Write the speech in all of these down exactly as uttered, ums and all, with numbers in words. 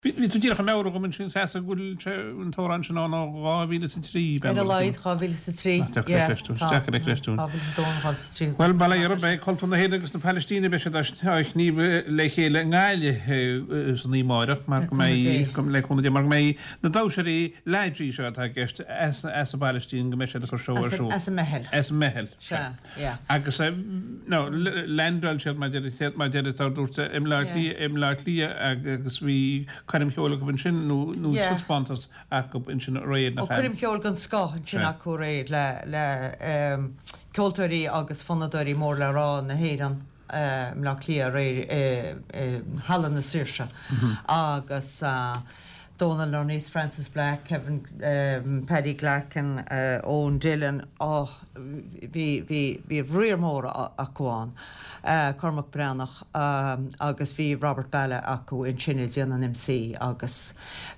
Bhí tú díreach ag meabhrú dhom ansin Treasa go bhfuil sé an t-amhrán sin ann ó dhá mhíle is a trí, Ar a laghad dhá mhíle is a trí, yeah. Deacair a chreistiúint. Dhá mhíle is a dó nó dhá mhíle is a trí. Bhuel, bail ó Dhia oraibh, beidh cultúr na hÉireann agus na Palaistíne, beidh siad á shníomh le chéile i nGaillimh san oíche amáireach mar go mbeidh, le cúnamh Dé, mar go mbeidh na damhsóirí Lajee seo atá i gceist as an bPalaistín go mbeidh siad ag cur seó ar siúl. As an Meitheal. As an Meitheal. Sea, yeah. Agus, no, landáil siad mar deir, mar deir, dúirt i mBleá Cliath, i mBleá Cliath agus bhí coirm cheoil acu ansin nó nó taispeántas acu ansin aréir nach ea? Ó, coirm cheoil den scoth ansin acu aréir le le ceoltóirí agus fonnadóirí mór le rá na hÉireann i mBleá Cliath aréir i Halla na Saoirse agus Dónal Lunny, Frances Black, Kevin, Paddy Glackin, Owen Dillon, oh bhí bhí bhí riar mór acu ann, Cormac Breathnach agus bhí Robert Ballagh acu ansin ag déanamh an MC agus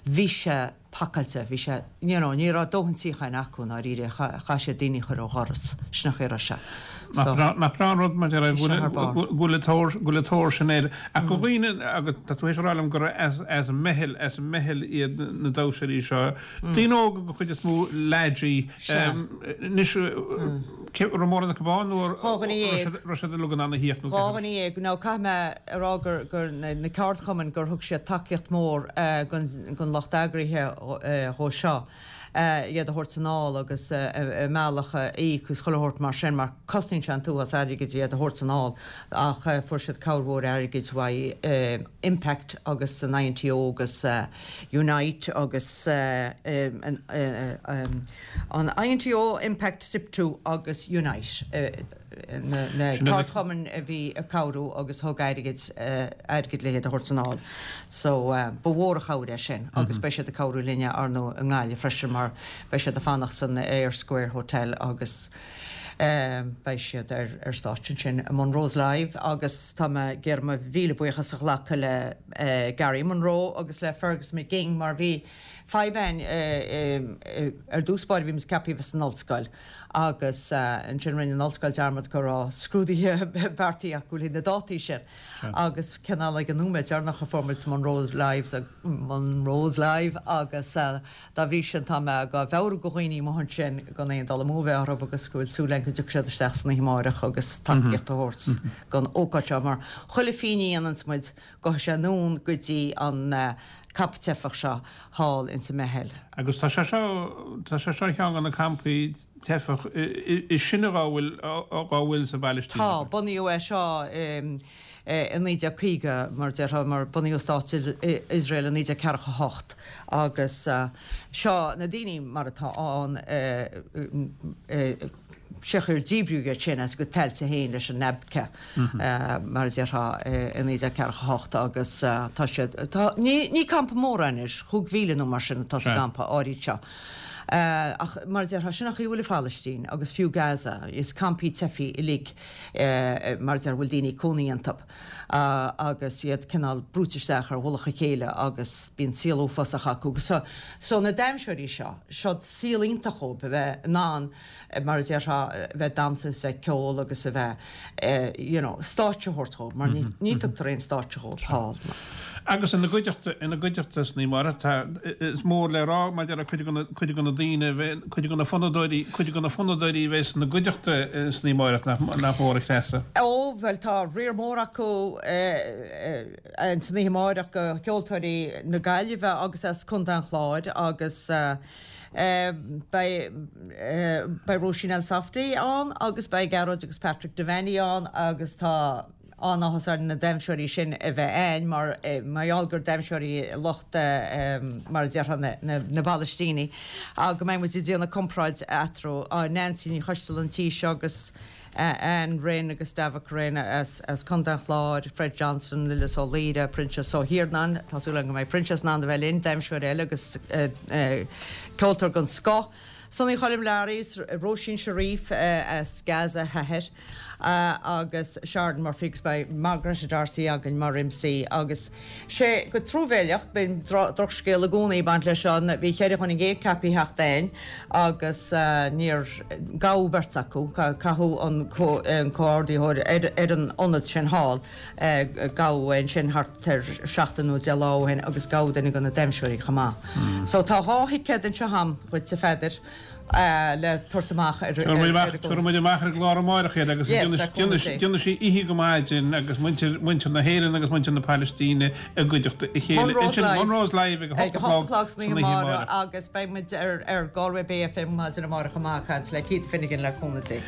bhí sé pacáilte, bhí sé, you know, ní raibh dóthain suíocháin acu i ndáiríre, chaith siad daoine a chur ó dhoras, sin an chaoi a raibh sé. So, Nach breá an rud mar deir go bhfuil an tóir sin air. Ach go dhaoine, agus tá tú théis a rá liom gur as an Meitheal, as an Meitheal iad na damhsóirí seo. Daoine óga den chuid is mó, Lajee. Anois, raibh mórán acu ann nó raibh siad uilig in ann a thíocht nó Dhá dhuine dhéag. Now caithfidh mé a rá gur gur na ceardchumainn gur thug siad tacaíocht mhór don lucht eagraithe dhó seo. iad a thabhairt anall agus a mbealach a íoc agus chuile shórt mar sin mar cosnaíonn sé an t-uafás airgid iad a thabhairt anall ach fuair siad cabhair mhór airgid uaidh Impact agus an INTO agus Unite agus an INTO, Impact, SIPTU agus Unite. na ceardchumainn a bhí ag cabhrú agus thug airgead airgead le hiad a thabhairt anall. So ba mhór an chabhair é sin agus beidh siad ag cabhrú linne ar ndóigh i nGaillimh freisin mar beidh siad ag fanacht san Eyre Square Hotel agus beidh siad ar ar stáitse ansin i Monroe's Live agus tá mé ag iarraidh mo mhíle buíochas a ghlacadh le Gary Monroe agus le Fergus McGing mar bhí fadhb againn ar dtús báire bhí muid ceaptha a bheith san ollscoil agus ansin rinne an ollscoil dearmad go raibh scrúduithe beartaithe acu le na dátaí sin agus cineál ag an nóiméad deireanach a fuair muid Monroe's Live Monroe's Live agus dá bhrí sin tá mé ag meabhrú go dhaoine amuigh ansin gan aon dul amú a bheith orthu agus go bhfuil súil againn go dtiocfaidh siad isteach san oíche amáireach agus tacaíocht a thabhairt don ócáid seo mar chuile phingin a dhéananns muid gabhfaidh sé anonn go dtí an campa teifeach seo thall ins an Meitheal. Agus tá sé seo, tá sé seo ar cheann de na campaí teifeach is sine dhá bhfuil, dhá bhfuil sa bPalaistín. Tá, bunaíodh é seo i naoi déag caoga, mar a déarfá, mar bunaíodh stát Iosrael i naoi déag ceathracha a hocht agus seo na daoine mar atá ann, sé an chaoi ar díbríodh iad sin as a gcuid tailte féin leis an Nabka, mar a déarfá, i naoi déag ceathracha a hocht agus tá siad, tá, ní, ní campa mór é anois, chúig mhíle nó mar sin atá sa gcampa áirid seo. Ach mar a déarfá, sin an chaoi a bhfuil an Phalaistín agus fiú Gaza, is campaí teifigh uilig mar a déarfá a bhfuil daoine ag cónaí iontu agus iad cineál brúite isteach ar mhullach a chéile agus bíonn saol uafásach acu. So, so na damhsóirí seo, seo saol iontach dhóibh a bheith in ann mar a déarfá, a bheith ag damhsa is a bheith ag ceol agus a bheith, you know, stáitse a thabhairt dhóibh, mar ní, ní tugtar aon stáitse dhóibh thall. Agus ina gcuideachta, ina gcuideachta san oíche amárach, tá, is mór le rá maidir le cuid de na, cuid de na daoine a bheidh, cuid de na fonnadóirí, cuid de na fonnadóirí a bheidh ina gcuideachta san oíche amárach, nach, nach mór a Threasa. Ó, bhuel, tá riar mór acu san oíche amárach de cheoltóirí na Gaillimhe agus as Contae an Chláir agus, Beidh Róisín Elsafty ann agus beidh Gearóid agus Patrick Devaney ann agus tá an-áthas orainn na damhsóirí sin a bheith a'inn mar mar gheall gur damhsóirí lucht mar a déarfá na bPalaistínigh go mbeidh muid ag déanamh comparáid eatarthu. Nancy Ní Choisteala an tí seo agus Anne Rynne agus Davach Rynne as Contae an Chláir, Fred Johnston, Lillis Ó Laoire, Proinsias Ó hIarnáin, tá súil agam go mbeidh Proinsias in ann a bheith linn, damhsóir eile agus ceoltóir den scoth, Sonny Choilm Learaí, Róisín Sharif as Gaza a hathair agus Sharon Murphy agus beidh Margaret D'Arcy againn mar MC agus sé go truamhéileach bíonn drochscéal i gcónaí ag baint leis seo, bhí ceithre dhuine déag ceaptha a theacht ann agus níor gabhadh beirt acu, caitheadh an comhordaitheoir ar an ionad sin thall, gabhadh é ansin thart ar seachtain nó deich lá ó shin agus gabhadh duine de na damhsóirí chomh maith. So tá dhá thicéad anseo agam dhuit a Pheadair. le tabhairt amach ar an gclár. Tabharfaidh muid amach ar an gclár amárach iad agus déanfaidh sí oíche go maidin agus muintir na hÉireann agus muintir na Palaistíne i gcuideachta a chéile. Monroe's Live. Monroe's Live ag a hocht a chlog san oíche amárach agus beidh muid ar Galway Bay FM maidin amárach chomh maith ag caint le Keith Finnegan le cúnamh Dé.